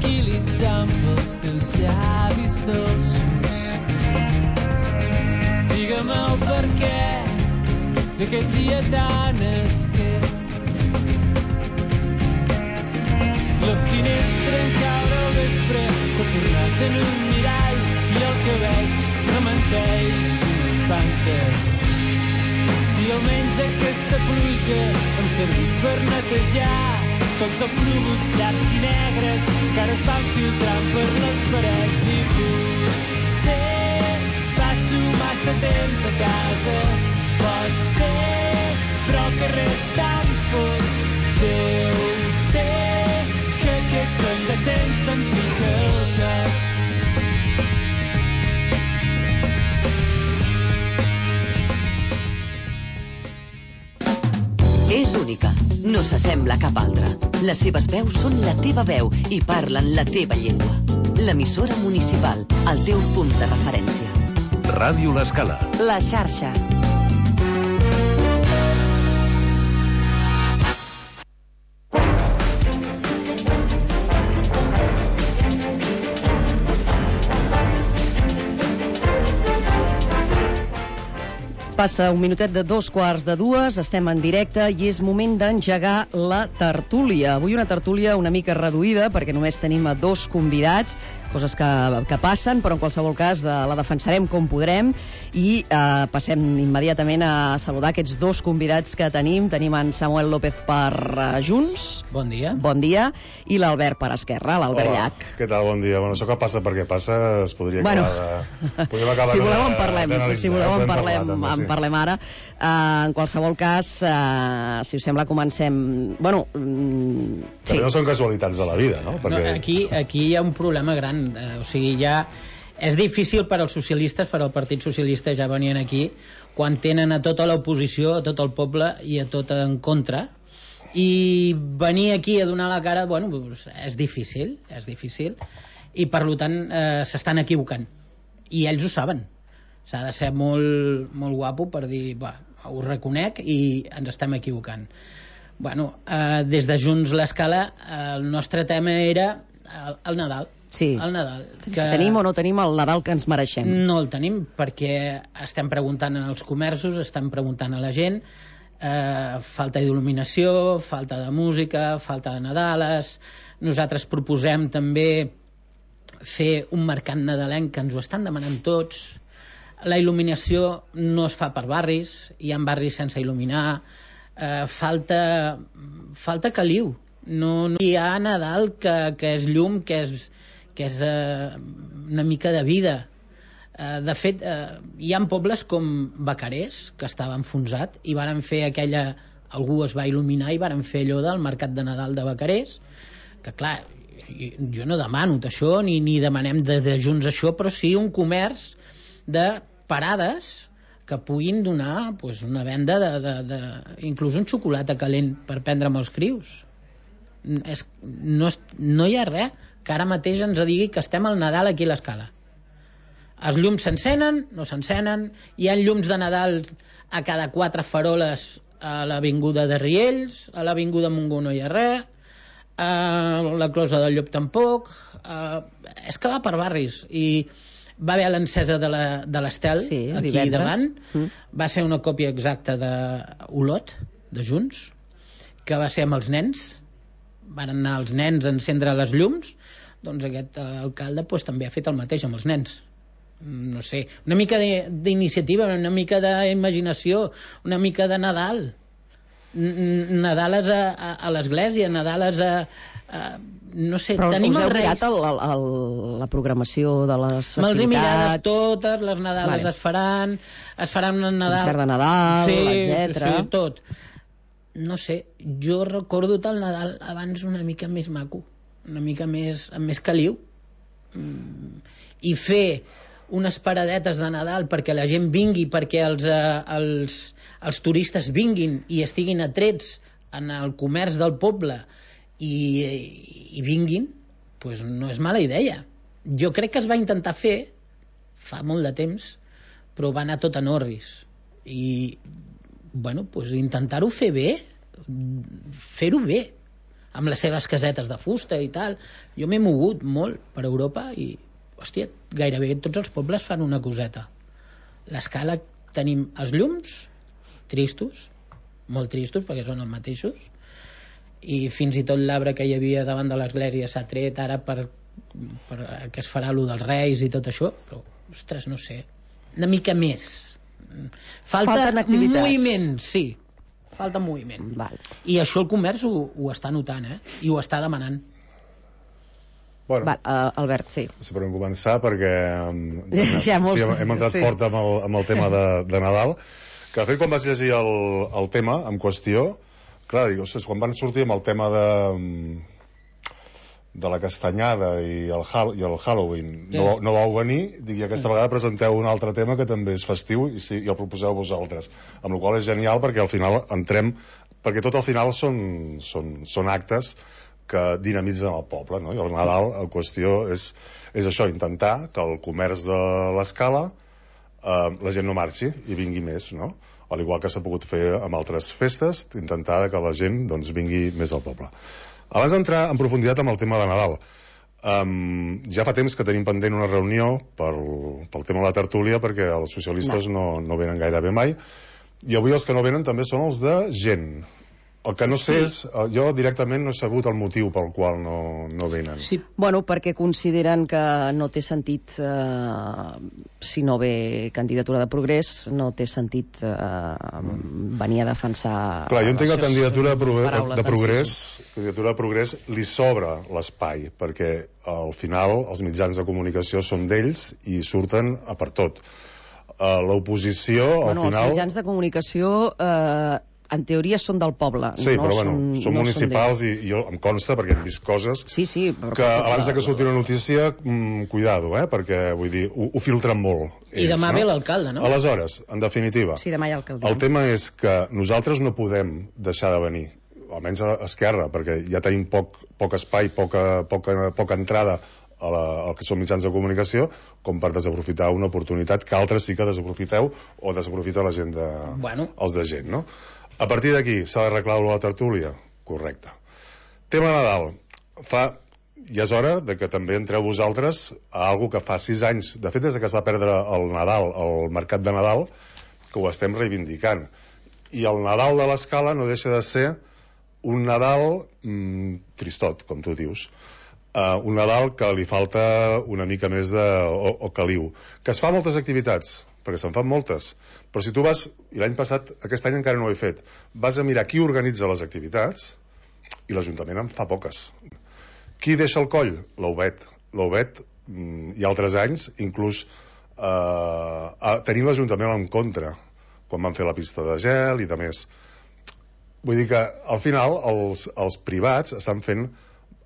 tranquil·litzant pels teus llavis dolços. Digue'm el perquè d'aquest dia tan esquet. La finestra en caure al vespre s'ha tornat en un mirall i el que veig no menteix i m'espanta. Si almenys aquesta pluja em servís per netejar tots els núvols llargs i negres que ara es van filtrant per les parets i potser passo massa temps a casa, pot ser, però que res tan fosc. Deu ser que aquest cony de temps se'm fica al cas. És única, no s'assembla a cap altra. Les seves veus són la teva veu i parlen la teva llengua. L'emissora municipal, el teu punt de referència. Ràdio L'Escala. La xarxa. Passa un minutet de 2:15, estem en directe i és moment d'engegar la tertúlia. Avui una tertúlia una mica reduïda perquè només tenim a 2 convidats, coses que passen, però en qualsevol cas la defensarem com podrem i passem immediatament a saludar aquests 2 convidats que tenim. Tenim en Samuel López per Junts. Bon dia. Bon dia. I l'Albert per Esquerra, l'Albert Llach. Què tal? Bon dia. Bueno, això que passa perquè passa es podria acabar de... Podríem acabar si voleu en parlem, si voleu en parlem ara. En qualsevol cas, si us sembla, comencem... Bueno, sí. No són casualitats de la vida, no? Perquè... no aquí hi ha un problema gran. O sigui, ja és difícil per als socialistes, per al Partit Socialista, ja venien aquí, quan tenen a tota l'oposició, a tot el poble i a tot en contra, i venir aquí a donar la cara, bueno, doncs és difícil, i per tant s'estan equivocant, i ells ho saben. S'ha de ser molt, molt guapo per dir, ho reconec i ens estem equivocant. Bueno, des de Junts l'Escala, el nostre tema era el Nadal. Sí. El Nadal. Si tenim o no tenim el Nadal que ens mereixem? No el tenim perquè estem preguntant als comerços, estem preguntant a la gent, falta d'il·luminació, falta de música, falta de Nadales. Nosaltres proposem també fer un mercat nadalenc que ens ho estan demanant tots. La il·luminació no es fa per barris, hi ha barris sense il·luminar, falta caliu, no hi ha Nadal que és llum, que és una mica de vida. De fet, hi ha pobles com Vacarés, que estava enfonsat, i varen fer algú es va il·luminar i varen fer allò del mercat de Nadal de Vacarés, que clar, jo no demano això, ni demanem de Junts això, però sí un comerç de parades que puguin donar una venda inclús un xocolata calent per prendre amb els crius. No hi ha res que ara mateix ens digui que estem al Nadal aquí a l'Escala. Els llums s'encenen, no s'encenen, hi ha llums de Nadal a cada 4 faroles a l'avinguda de Riells, a l'avinguda Montgó no hi ha res, a la Closa del Llop tampoc, és que va per barris. I va haver l'encesa de l'Estel, sí, aquí davant, va ser una còpia exacta d'Olot, de Junts, que va ser amb els nens, van anar els nens a encendre les llums, doncs aquest alcalde també ha fet el mateix amb els nens. No sé, una mica d'iniciativa, una mica d'imaginació, una mica de Nadal. Nadales a l'església, Nadales no sé, però tenim us heu els Reis. Mirat la programació de les activitats? Me'ls he mirades totes, les Nadales es faran un Nadal... Concert de Nadal, etcètera. Sí, tot. No sé, jo recordo el Nadal abans una mica més maco, una mica més, amb més caliu, i fer unes paradetes de Nadal perquè la gent vingui, perquè els turistes vinguin i estiguin atrets en el comerç del poble i vinguin, doncs no és mala idea. Jo crec que es va intentar fer fa molt de temps, però va anar tot en orris. I bueno, doncs intentar-ho fer bé, fer-ho bé. amb les seves casetes de fusta i tal. Jo m'he mogut molt per Europa i, hòstia, gairebé tots els pobles fan una coseta. L'Escala tenim els llums tristos, molt tristos perquè són els mateixos, i fins i tot l'arbre que hi havia davant de l'església s'ha tret ara per que es farà lo dels Reis i tot això, però, ostres, no sé, una mica més. Falten moviment, sí, falta moviment. Val. I això el comerç ho està notant, i ho està demanant. Bueno, Val, Albert, sí. si podem començar, perquè hem entrat fort amb el tema de Nadal, que de fet quan vaig llegir el tema en qüestió, clar, dic, ostres, quan van sortir amb el tema de la castanyada i el Halloween, no vau venir, dic, i aquesta vegada presenteu un altre tema que també és festiu i el proposeu vosaltres, amb la qual és genial perquè al final entrem, perquè tot al final són actes que dinamitzen el poble, no? I el Nadal, la qüestió és això, intentar que el comerç de l'Escala la gent no marxi i vingui més, no? Al igual que s'ha pogut fer amb altres festes, intentar que la gent doncs, vingui més al poble. Abans d'entrar en profunditat amb el tema de Nadal, ja fa temps que tenim pendent una reunió pel tema de la tertúlia, perquè els socialistes no venen gairebé mai, i avui els que no venen també són els de gent. El que no sé és, jo directament no he sabut el motiu pel qual no venen. Sí. Bueno, perquè consideren que no té sentit, si no ve candidatura de Progrés, no té sentit venir a defensar... Clar, jo entenc que candidatura de Progrés li sobra l'espai, perquè al final els mitjans de comunicació són d'ells i surten a per tot. L'oposició, al final... Els mitjans de comunicació... en teoria són del poble. Sí, però són municipals i jo em consta, perquè hem vist coses que abans que surti una notícia, cuidado, perquè vull dir, ho filtren molt. I demà ve l'alcalde, no? Aleshores, en definitiva, el tema és que nosaltres no podem deixar de venir, almenys a Esquerra, perquè ja tenim poc espai, poca entrada al que són mitjans de comunicació, com per desaprofitar una oportunitat que altres sí que desaprofiteu o desaprofita la gent els de gent, no? A partir d'aquí s'ha d'arreglar la tertúlia? Correcte. Tema Nadal. Ja és hora de que també entreu vosaltres a algo que fa 6 anys, de fet des que es va perdre el Nadal, el mercat de Nadal, que ho estem reivindicant. I el Nadal de l'Escala no deixa de ser un Nadal tristot, com tu dius. Un Nadal que li falta una mica més o caliu. Que es fa moltes activitats, perquè se'n fan moltes, però si tu vas, i l'any passat, aquest any encara no ho he fet, vas a mirar qui organitza les activitats i l'Ajuntament en fa poques. Qui deixa el coll? L'Obet, i altres anys inclús tenint l'Ajuntament en contra quan van fer la pista de gel i de més. Vull dir que al final els privats estan fent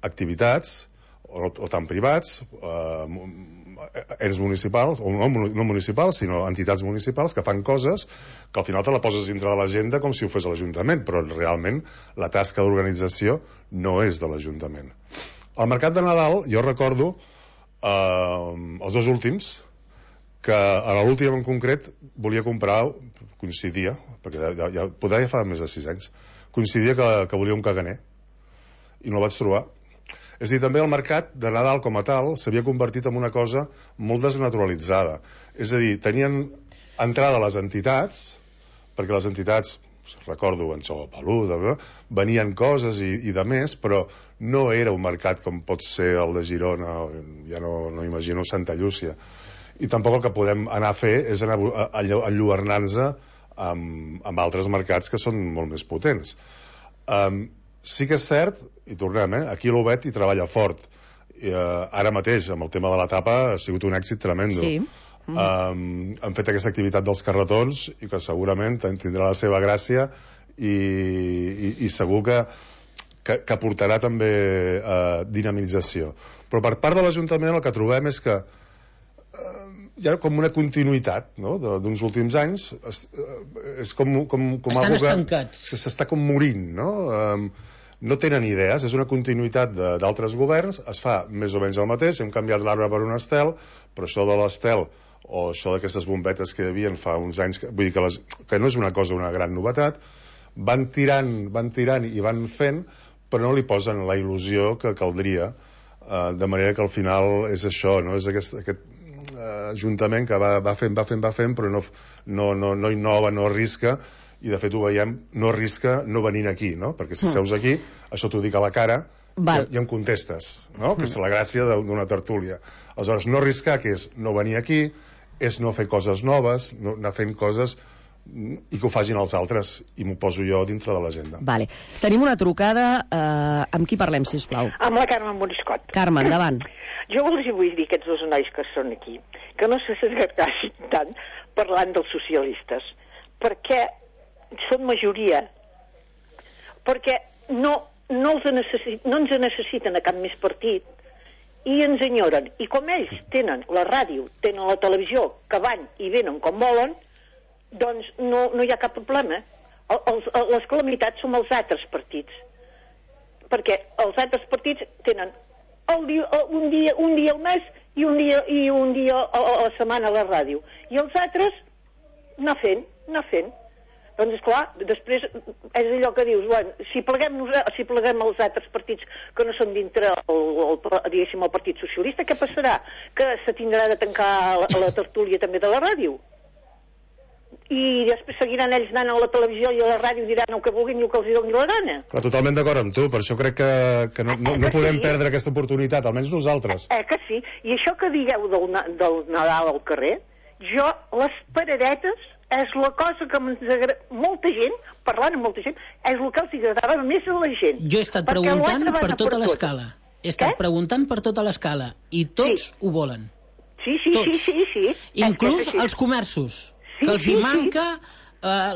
activitats o tant privats, ens municipals, o no municipals, sinó entitats municipals que fan coses que al final te la poses dintre de l'agenda com si ho fes l'Ajuntament, però realment la tasca d'organització no és de l'Ajuntament. Al mercat de Nadal, jo recordo els 2 últims, que a l'últim en concret volia comprar, coincidia, perquè ja fa més de 6 anys, coincidia que volia un caganer, i no el vaig trobar. És a dir, també el mercat de Nadal com a tal s'havia convertit en una cosa molt desnaturalitzada. És a dir, tenien entrada a les entitats, perquè les entitats, recordo, en Xó Peluda, venien coses i de més, però no era un mercat com pot ser el de Girona, ja no imagino Santa Llúcia. I tampoc el que podem anar a fer és anar a enlluernar-nos amb altres mercats que són molt més potents. Sí que és cert, i tornem, aquí l'Obet hi treballa fort. Ara mateix, amb el tema de la tapa, ha sigut un èxit tremendo. Sí. Han fet aquesta activitat dels carretons i que segurament tindrà la seva gràcia i segur que portarà també dinamització. Però per part de l'Ajuntament el que trobem és que hi ha com una continuïtat, no?, d'uns últims anys. És com estan estancats. S'està com morint, no? No tenen idees, és una continuïtat d'altres governs, es fa més o menys el mateix, hem canviat l'arbre per un estel, però això de l'estel o això d'aquestes bombetes que hi havia fa uns anys, vull dir que no és una cosa, una gran novetat, van tirant i van fent, però no li posen la il·lusió que caldria, de manera que al final és això, no? És aquest ajuntament que va fent, però no innova, no arrisca, i de fet ho veiem, no arrisca no venint aquí, no? Perquè si seus aquí, això t'ho dic a la cara i em contestes, no? Que és la gràcia d'una tertúlia. Aleshores, no arriscar, que és no venir aquí, és no fer coses noves, no anar fent coses i que ho facin els altres, i m'ho poso jo dintre de l'agenda. Vale. Tenim una trucada. Amb qui parlem, sisplau? Amb la Carme Moriscot. Carme, endavant. Jo els vull dir, aquests dos nois que són aquí, que no se s'esgargassin tant parlant dels socialistes, perquè són majoria, perquè no ens necessiten a cap més partit, i ens enyoren. I com ells tenen la ràdio, tenen la televisió, que van i venen com volen, doncs no hi ha cap problema. Les calamitats són els altres partits, perquè els altres partits tenen un dia al mes i un dia a la setmana a la ràdio, i els altres anar fent. Doncs esclar, després és allò que dius, bueno, si pleguem els altres partits que no són dintre diguéssim el Partit Socialista, què passarà? Que se tindrà de tancar la tertúlia també de la ràdio? I després seguiran ells anant a la televisió i a la ràdio, diran el que vulguin i el que els doni la gana. Però totalment d'acord amb tu, per això crec que no podem perdre aquesta oportunitat, almenys nosaltres. Que sí, i això que digueu del Nadal al carrer, jo, les paradetes, és la cosa que molta gent, parlant amb molta gent, és el que els agradava més a la gent. Jo he estat preguntant per tota l'escala. He estat preguntant per tota l'escala, i tots ho volen. Sí. Inclús els comerços, que els hi manca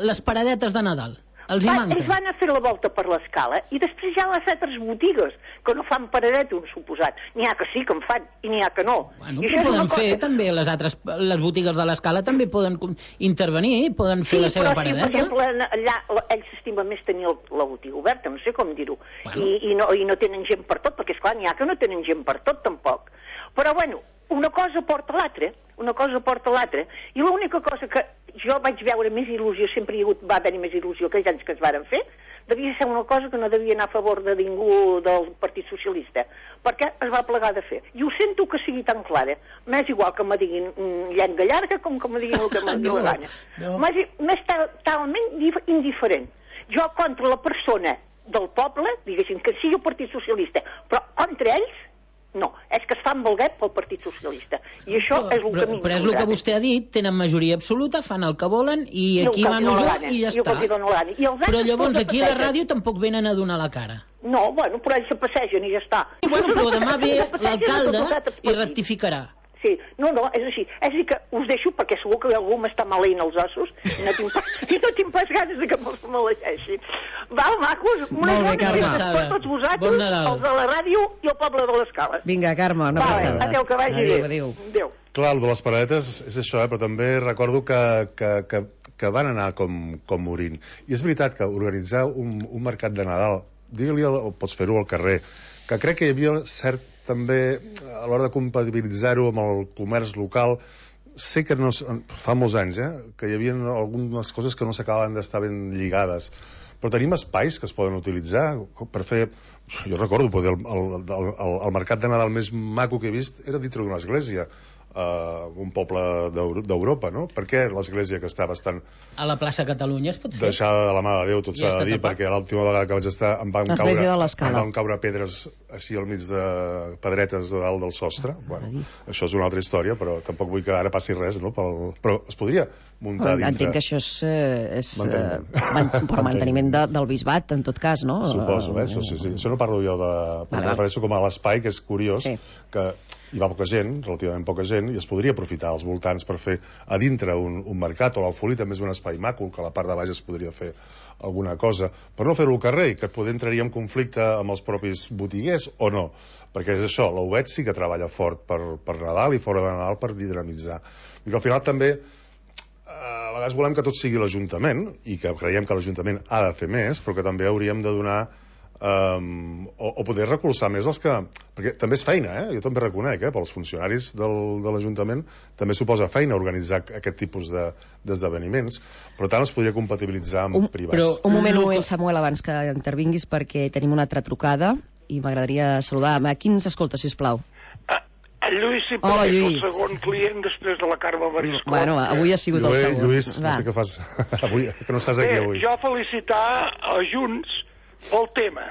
les paradetes de Nadal. Els hi manca. Ells van a fer la volta per l'escala i després hi ha les altres botigues que no fan paradeta, un suposat. N'hi ha que sí que en fan i n'hi ha que no. Bueno, però poden fer també les botigues de l'escala també poden intervenir, poden fer la seva paradeta. Sí, per exemple, allà ells s'estimen més tenir la botiga oberta, no sé com dir-ho. I no tenen gent per tot, perquè esclar, n'hi ha que no tenen gent per tot tampoc. Però bueno, una cosa porta l'altra, i l'única cosa que jo vaig veure més il·lusió, sempre va haver-hi més il·lusió aquells anys que es varen fer, devia ser una cosa que no devia anar a favor de ningú del Partit Socialista, perquè es va plegar de fer. I ho sento que sigui tan clara. M'és igual que me diguin llenga llarga com que me diguin el que me diguin la gana. M'és talment indiferent. Jo contra la persona del poble, diguéssim, que sigui el Partit Socialista, però contra ells, no, és que es fan valguet pel Partit Socialista. I això és el que Però és el que vostè ha dit, tenen majoria absoluta, fan el que volen, i aquí mano jo i ja està. Però llavors aquí a la ràdio tampoc venen a donar la cara. No, bueno, però ells se passegen i ja està. Bueno, però demà ve l'alcalde i rectificarà. Sí, no, és així. És a dir que us deixo perquè segur que algú m'està maleint els ossos i no tinc pas ganes de que me'ls maleeixi. Val, macos? Molt bé, Carme. Per tots vosaltres, els de la ràdio i el poble de l'escala. Vinga, Carme, una abraçada. Adéu, que vagi bé. Adéu. Clar, el de les paradetes és això, però també recordo que van anar com morint. I és veritat que organitzar un mercat de Nadal, digue-li, pots fer-ho al carrer, que crec que hi havia cert també, a l'hora de compatibilitzar-ho amb el comerç local, sé que fa molts anys, que hi havia algunes coses que no s'acabaven d'estar ben lligades, però tenim espais que es poden utilitzar per fer... Jo recordo, el mercat de Nadal més maco que he vist era dintre d'una església, un poble d'Europa, no? Perquè l'església que està bastant... A la plaça Catalunya es pot fer. Deixada de la mà de Déu, tot s'ha de dir, perquè l'última vegada que vaig estar em van caure pedres així al mig de pedretes de dalt del sostre. Bueno, això és una altra història, però tampoc vull que ara passi res, no? Però es podria muntar dintre... Entenc que això és per manteniment del bisbat, en tot cas, no? Suposo, això sí. Això no parlo jo de... Em refereixo com a l'espai, que és curiós, que hi va poca gent, relativament poca gent, i es podria aprofitar als voltants per fer a dintre un mercat, o l'Alfolí també és un espai maco, que a la part de baix es podria fer alguna cosa, però no fer-ho al carrer, que poder entraria en conflicte amb els propis botiguers o no, perquè és això, l'Uvet sí que treballa fort per Nadal i fora de Nadal per dinamitzar. I que al final també a vegades volem que tot sigui l'Ajuntament, i que creiem que l'Ajuntament ha de fer més, però que també hauríem de donar o poder recolzar més els que... Perquè també és feina, jo també reconec, pels funcionaris de l'Ajuntament també suposa feina organitzar aquest tipus d'esdeveniments, però tant es podria compatibilitzar amb privats. Un moment, Samuel, abans que intervinguis, perquè tenim una altra trucada i m'agradaria saludar. Qui ens escolta, sisplau? El Lluís sempre és el segon client després de la Carme Mariscot. Bueno, avui ha sigut el segon. Lluís, no sé què fas avui, que no estàs aquí avui. Jo felicitar a Junts pel tema,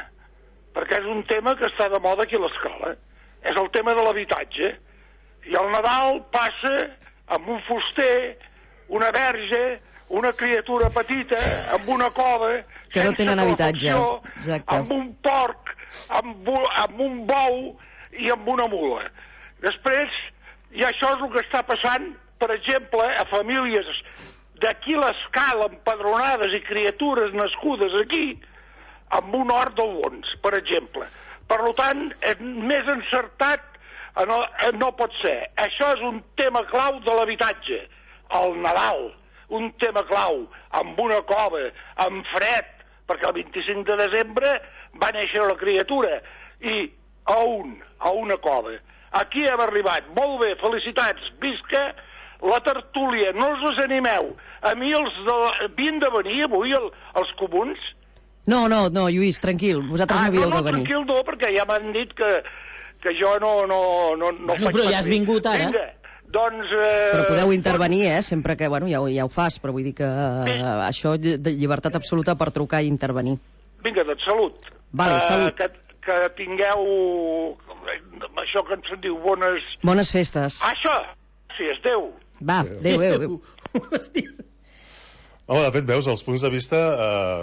perquè és un tema que està de moda aquí a l'escola. És el tema de l'habitatge. I el Nadal passa amb un fuster, una verge, una criatura petita, amb una cova, que no tenen habitatge. Amb un porc, amb un bou i amb una mula. Després, i això és el que està passant, per exemple, a famílies d'aquí l'escala, empadronades i criatures nascudes aquí, amb un hort del Bons, per exemple. Per tant, més encertat no pot ser. Això és un tema clau de l'habitatge. El Nadal, un tema clau, amb una cova, amb fred, perquè el 25 de desembre va néixer la criatura, i a una cova. Aquí hem arribat. Molt bé, felicitats. Visca la tertúlia. No us desanimeu. A mi havien de venir avui els comuns? No, Lluís, tranquil. Vosaltres no havíeu de venir. Tranquil no, perquè ja m'han dit que jo no faig... Però ja has vingut ara. Vinga, doncs... Però podeu intervenir, sempre que, ja ho fas, però vull dir que això, de llibertat absoluta per trucar i intervenir. Vinga, doncs salut. Vale, salut. Que tingueu això que ens diu bones festes. Això, sí, és Déu. Va, Déu. Home, de fet, veus, els punts de vista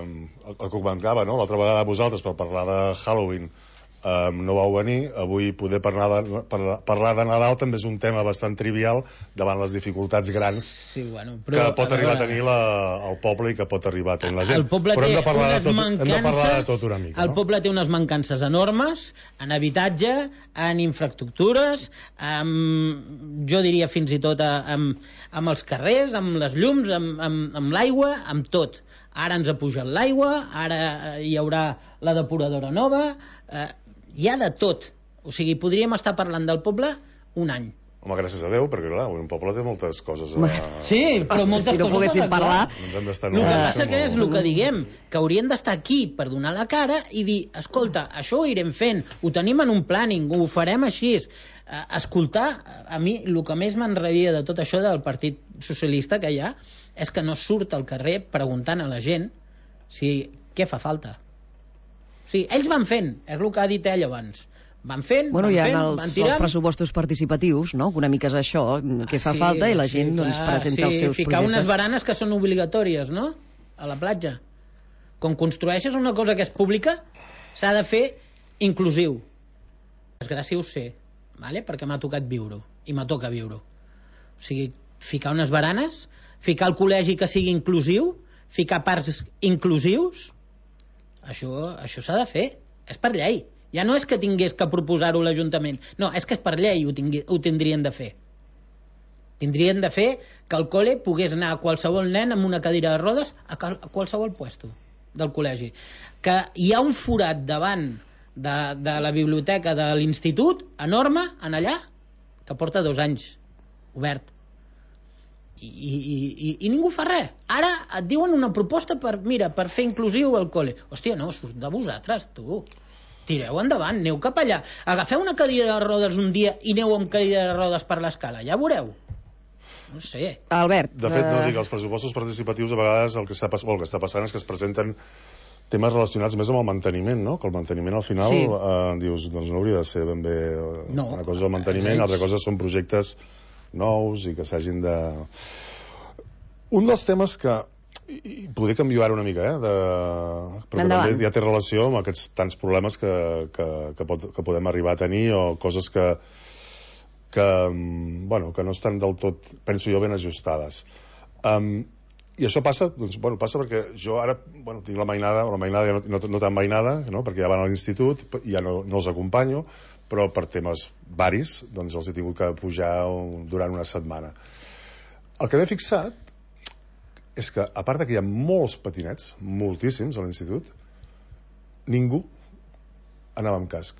el que comentava, no? L'altra vegada vosaltres per parlar de Halloween no vau venir. Avui poder parlar de Nadal també és un tema bastant trivial davant les dificultats grans que pot arribar a tenir el poble i que pot arribar a tenir la gent. Però hem de parlar de tot una mica. El poble té unes mancances enormes en habitatge, en infraestructures, jo diria fins i tot amb els carrers, amb les llums, amb l'aigua, amb tot. Ara ens ha pujat l'aigua, ara hi haurà la depuradora nova, hi ha de tot. O sigui, podríem estar parlant del poble un any. Home, gràcies a Déu, perquè clar, un poble té moltes coses Sí, però moltes coses... Si no poguéssim parlar... El que passa que és el que diguem, que haurien d'estar aquí per donar la cara i dir, escolta, això ho irem fent, ho tenim en un planning, ho farem així. Escoltar, a mi el que més m'enrabia de tot això del Partit Socialista que hi ha és que no surt al carrer preguntant a la gent què fa falta. O sigui, ells van fent, és el que ha dit ell abans. Van fent, van tirant. Els pressupostos participatius, no? Una mica és això, que fa falta i la gent presenta els seus ficar projectes. Unes baranes que són obligatòries, no? A la platja. Com construeixes una cosa que és pública, s'ha de fer inclusiu. Desgràcia ho sé, vale? Perquè m'ha tocat viure-ho, i m'ha tocat viure-ho. O sigui, ficar unes baranes, ficar el col·legi que sigui inclusiu, ficar parcs inclusius, això s'ha de fer, és per llei. Ja no és que tingués que proposar-ho l'Ajuntament, no, és que és per llei ho tindrien de fer. Tindrien de fer que el col·le pogués anar a qualsevol nen amb una cadira de rodes a qualsevol puesto del col·legi. Que hi ha un forat davant de la biblioteca de l'institut enorme en allà que porta 2 anys obert i ningú fa res. Ara et diuen una proposta per fer inclusiu el col·le. Hòstia, no, surt de vosaltres, tu. Tireu endavant, aneu cap allà. Agafeu una cadira de rodes un dia i aneu amb cadira de rodes per l'escala, ja veureu. No sé. Albert. De fet, no dic, els pressupostos participatius a vegades el que està passant és que es presenten temes relacionats més amb el manteniment, no? Que el manteniment al final dius, doncs no hauria de ser ben bé una cosa del manteniment, altra cosa són projectes nous i que s'hagin de... Un dels temes que podria canviar ara una mica, però també ja té relació amb aquests tants problemes que podem arribar a tenir o coses que no estan del tot, penso jo, ben ajustades. I això passa, passa perquè jo ara tinc la mainada ja no tan mainada, perquè ja van a l'institut i ja no els acompanyo, però per temes varis doncs els he tingut que pujar durant una setmana. El que m'he fixat és que, a part que hi ha molts patinets, moltíssims a l'institut, ningú anava amb casc.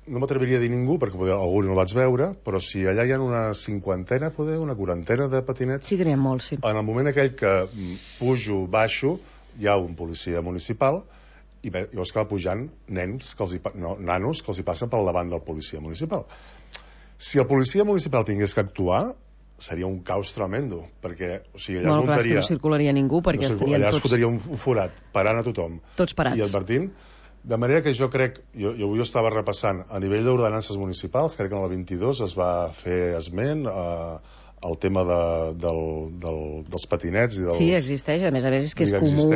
No m'atreviria a dir ningú, perquè algú no el vaig veure, però si allà hi ha una 50, una 40 de patinets... Sí que n'hi ha molts, sí. En el moment aquell que pujo, baixo, hi ha un policia municipal i llavors que va pujant nanos que els hi passen pel davant del policia municipal. Si el policia municipal tingués que actuar, seria un caos tremendo, perquè allà es muntaria... no circularia ningú, perquè estarien allà tots... es fotria un forat, parant a tothom. Tots parats. I advertint. De manera que jo crec, jo avui estava repassant, a nivell d'ordenances municipals, crec que en el 22 es va fer esment al tema dels patinets i dels... Sí, existeix, a més és que és comú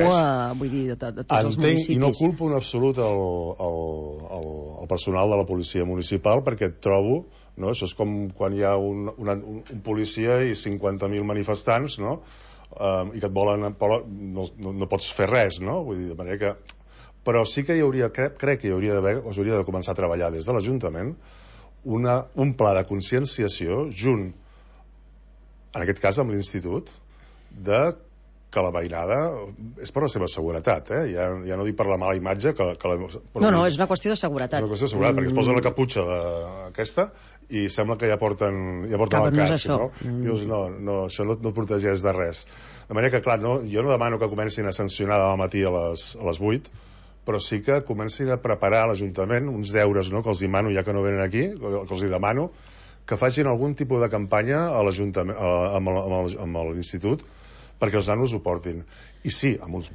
vull dir, de tots els municipis. I no culpo en absolut el personal de la policia municipal, perquè trobo, no? Això és com quan hi ha un policia i 50.000 manifestants, no? I que et volen... no pots fer res, no? Vull dir, de manera que... Però sí que crec que hauria de començar a treballar des de l'Ajuntament un pla de conscienciació junt, en aquest cas amb l'Institut, de que la veïnada és per la seva seguretat, ja no dic per la mala imatge no, és una qüestió de seguretat. És una qüestió de seguretat, perquè es posen la caputxa aquesta i sembla que ja porten el casc, no? Dius, no, això no et protegeix de res. De manera que, clar, jo no demano que comencin a sancionar demà al matí a les 8, però sí que comencin a preparar a l'Ajuntament uns deures, no?, que els demano, ja que no venen aquí, que els demano que facin algun tipus de campanya a l'Ajuntament, amb l'Institut, perquè els nanos ho portin. I sí, amb uns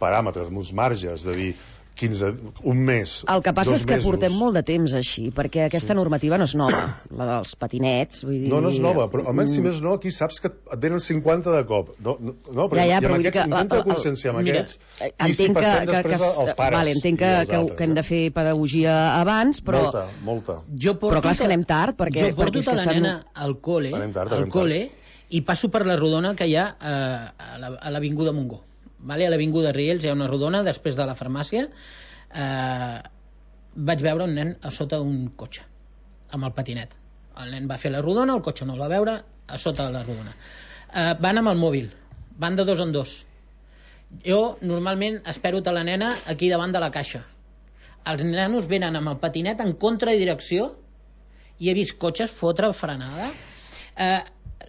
paràmetres, amb uns marges, de dir 15, un mes, 2 mesos... El que passa és que portem molt de temps així, perquè aquesta normativa no és nova, la dels patinets, vull dir... No és nova, però almenys si més no, aquí saps que et venen 50 de cop. No, però ja, amb aquests intenta conscienciar amb aquests, i si passem després als pares. Vale, entenc que hem de fer pedagogia abans, però... Molta. Però clar, és que anem tard, perquè... Jo porto tota la nena al col·le, i passo per la rodona que hi ha a l'Avinguda Montgó. Vale? A l'Avinguda Riells hi ha una rodona després de la farmàcia. Vaig veure un nen a sota d'un cotxe amb el patinet. El nen va fer la rodona, el cotxe no el va veure, a sota de la rodona. Van amb el mòbil, van de 2 en 2. Jo normalment espero la nena aquí davant de la caixa. Els nanos venen amb el patinet en contradirecció i he vist cotxes fotre frenada.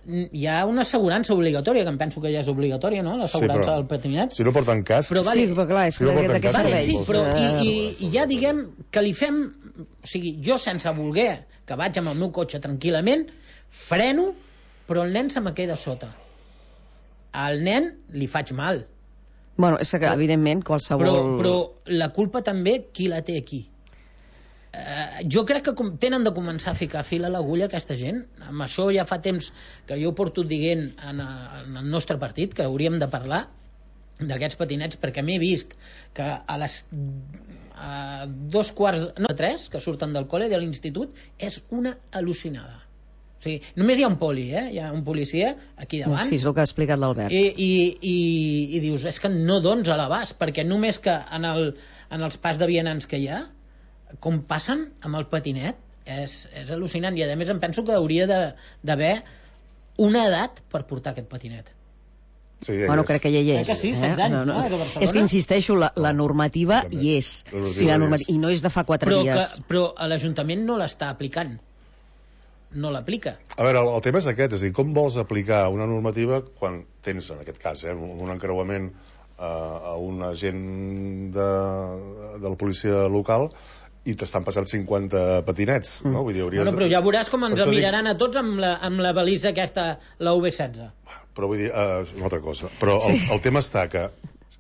Hi ha una assegurança obligatòria, que em penso que ja és obligatòria, no?, l'assegurança del patinet. Si no porten casc... Però vale, sí, però clar, és que què serveix? Sí, però i ja diguem que li fem... O sigui, jo sense voler, que vaig amb el meu cotxe tranquil·lament, freno, però el nen se me queda sota. Al nen li faig mal. Bueno, és que evidentment qualsevol... Però la culpa també, qui la té aquí? Jo crec que tenen de començar a ficar fil a l'agulla aquesta gent. Amb això ja fa temps que jo porto dient en el nostre partit que hauríem de parlar d'aquests patinets, perquè m'he vist que a les 3:15 que surten del col·le de l'institut és una al·lucinada. O sigui, només hi ha un poli, hi ha un policia aquí davant. Sí, és el que ha explicat l'Albert. I dius, és que no dones a l'abast, perquè només que en els pas de vianants que hi ha, com passen amb el patinet, és al·lucinant. I a més em penso que hauria d'haver una edat per portar aquest patinet. Sí, bueno, crec que ja hi és. Que sí, 16 anys, no? És que insisteixo, la normativa hi és. I no és de fa 4 dies. Però l'Ajuntament no l'està aplicant. No l'aplica. A veure, el tema és aquest, és a dir, com vols aplicar una normativa quan tens, en aquest cas, un encreuament a un agent de la policia local i t'estan passant 50 patinets, no? Vull dir, però ja veuràs com ens miraran a tots amb la balisa aquesta, la UV16. Però vull dir, una altra cosa. Però el tema està que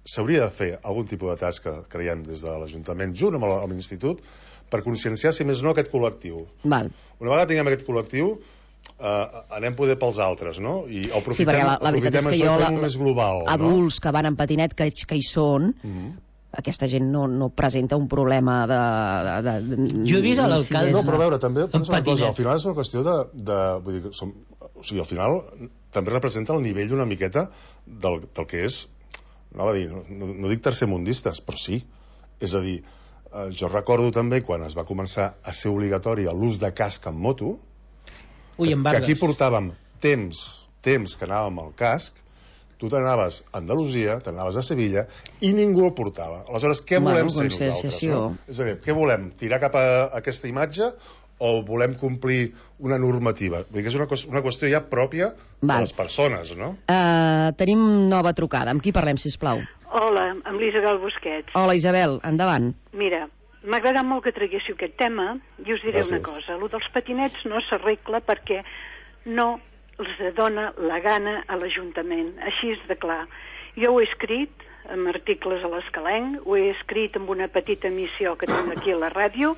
s'hauria de fer algun tipus de tasca, creiem, des de l'Ajuntament, junt amb l'Institut, per conscienciar, si més no, aquest col·lectiu. Val. Una vegada tinguem aquest col·lectiu, anem poder pels altres, no? I sí, perquè la veritat és que jo, més global, adults que van en patinet, que hi són, aquesta gent no presenta un problema de jo he vist a l'alcalde... No, però a veure, també penso una cosa, al final és una qüestió vull dir, o sigui, al final també representa el nivell una miqueta del que és, no dic tercermundistes, però sí. És a dir, jo recordo també quan es va començar a ser obligatori l'ús de casc en moto, que aquí portàvem temps que anàvem al casc, Tu t'anaves a Andalusia, t'anaves a Sevilla, i ningú el portava. Aleshores, què volem ser nosaltres? No? És a dir, què volem? Tirar cap a aquesta imatge o volem complir una normativa? Vull dir que és una qüestió ja pròpia de les persones, no? Tenim nova trucada. Amb qui parlem, sisplau? Hola, amb l'Isabel Busquets. Hola, Isabel, endavant. Mira, m'ha agradat molt que traguéssiu aquest tema i us diré una cosa. Lo dels patinets no s'arregla perquè no els dona la gana a l'Ajuntament. Així és de clar. Jo ho he escrit amb articles a l'Escalenc, ho he escrit amb una petita emissió que tinc aquí a la ràdio,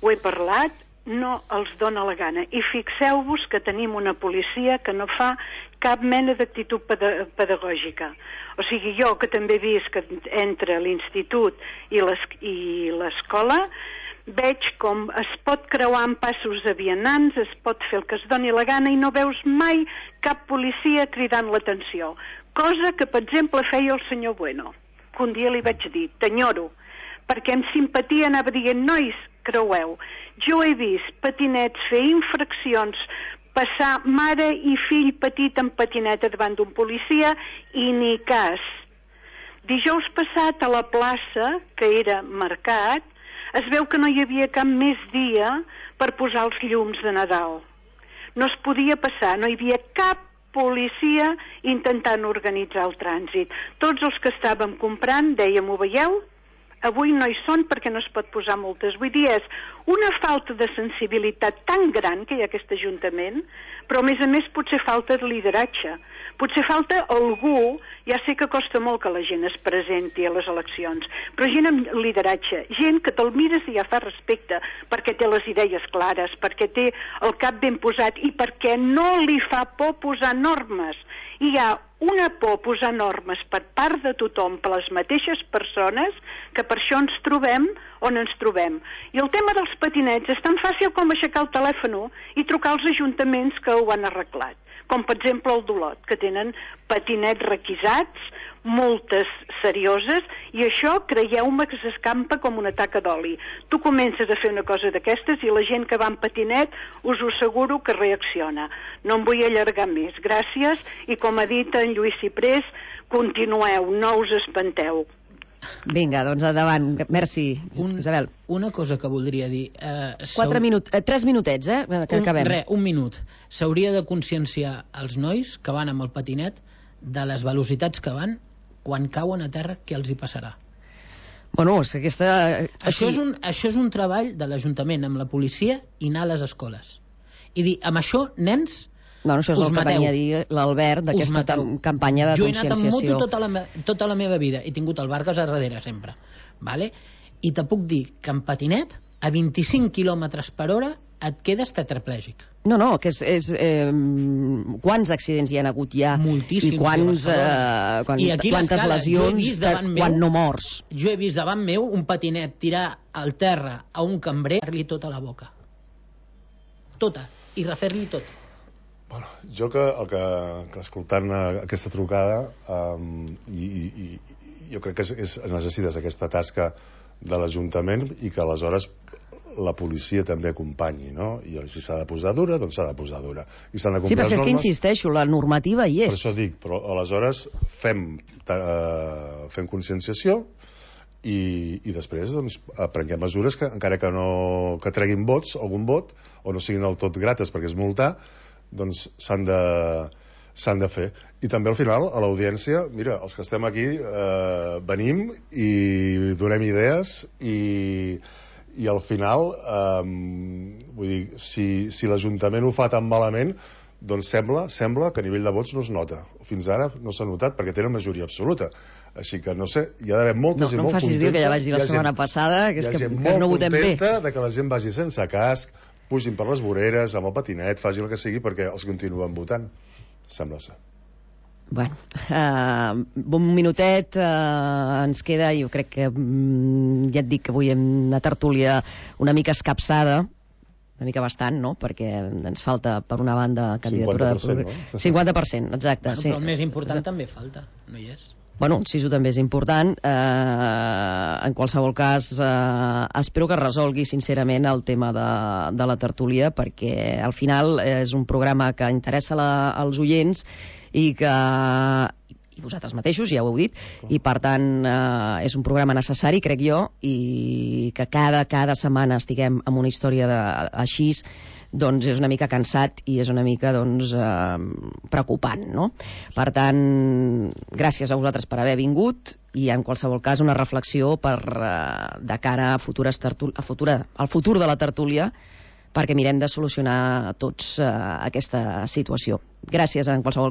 ho he parlat, no els dona la gana. I fixeu-vos que tenim una policia que no fa cap mena d'actitud pedagògica. O sigui, jo que també he vist que entre l'institut i l'escola, veig com es pot creuar en passos de vianants, es pot fer el que es doni la gana i no veus mai cap policia cridant l'atenció. Cosa que, per exemple, feia el senyor Bueno, que un dia li vaig dir, t'enyoro, perquè amb simpatia anava dient, nois, creueu. Jo he vist patinets fer infraccions, passar mare i fill petit en patineta davant d'un policia i ni cas. Dijous passat a la plaça, que era mercat, es veu que no hi havia cap més dia per posar els llums de Nadal. No es podia passar, no hi havia cap policia intentant organitzar el trànsit. Tots els que estàvem comprant dèiem, ho veieu? Avui no hi són perquè no es pot posar multes. Vull dir, és una falta de sensibilitat tan gran que hi ha aquest Ajuntament, però a més potser falta de lideratge. Potser falta algú, ja sé que costa molt que la gent es presenti a les eleccions, però gent amb lideratge, gent que te'l mires i ja fa respecte, perquè té les idees clares, perquè té el cap ben posat i perquè no li fa por posar normes. Hi ha una por a posar normes per part de tothom, per les mateixes persones, que per això ens trobem on ens trobem. I el tema dels patinets és tan fàcil com aixecar el telèfon i trucar als ajuntaments que ho han arreglat. Com per exemple el d'Olot, que tenen patinets requisats, multes serioses, i això, creieu-me, que s'escampa com una taca d'oli. Tu comences a fer una cosa d'aquestes i la gent que va en patinet us ho asseguro que reacciona. No em vull allargar més. Gràcies, i com ha dit en Lluís Ciprés, continueu, no us espanteu. Vinga, doncs endavant. Merci, Isabel. Una cosa que voldria dir... 3 minutets, que acabem. Un minut. S'hauria de conscienciar els nois que van amb el patinet de les velocitats que van quan cauen a terra, què els hi passarà. Bueno, és que aquesta... Això és un treball de l'Ajuntament amb la policia i anar a les escoles. I dir, amb això, nens... Bueno, això és el que venia a dir l'Albert d'aquesta campanya de conscienciació. Jo he anat amb moto tota la meva vida, he tingut el Vargas a darrere sempre, vale? I te puc dir que en patinet a 25 km/h et quedes tetraplègic. No, que és quants accidents hi ha hagut ja? Moltíssims. I quantes lesions, quan no mors. Jo he vist davant meu un patinet tirar al terra a un cambrer, fer-li tota la boca. Tota. I refer-li tot. Bueno, jo que escoltant aquesta trucada jo crec que necessites aquesta tasca de l'Ajuntament i que aleshores la policia també acompanyi, no? I si s'ha de posar dura, doncs s'ha de posar dura. I s'han de complir les normes. Sí, però és que insisteixo, la normativa hi és. Per això dic, però aleshores fem conscienciació i després doncs, prenguem mesures que encara que treguin vots, algun vot, o no siguin del tot grates perquè és multar, doncs s'han de fer. I també al final a l'audiència, mira, els que estem aquí venim i donem idees i al final vull dir, si l'Ajuntament ho fa tan malament, doncs sembla que a nivell de vots no es nota. Fins ara no s'ha notat perquè tenen majoria absoluta. Així que no sé, hi ha d'haver molta gent molt contenta. No em facis dir que ja vaig dir la setmana passada que no votem bé. Hi ha gent molt contenta que la gent vagi sense casc, pugin per les voreres, amb el patinet, facin el que sigui perquè els continuen votant. Sembla ser. Bueno, un minutet ens queda, jo crec que ja et dic que avui hem una tertúlia una mica escapçada, una mica bastant, no? Perquè ens falta, per una banda, candidatura 50%, no? 50%, exacte. Bueno, però el més important també falta, no hi és? Bueno, sí, això també és important. En qualsevol cas, espero que resolgui sincerament el tema de la tertúlia, perquè al final és un programa que interessa als oients i i vosaltres mateixos, ja ho heu dit, i per tant és un programa necessari, crec jo, i que cada setmana estiguem amb una història així, doncs és una mica cansat i és una mica preocupant, no? Per tant, gràcies a vosaltres per haver vingut i en qualsevol cas una reflexió de cara al futur de la tertúlia, perquè mirem de solucionar tots aquesta situació. Gràcies en qualsevol cas.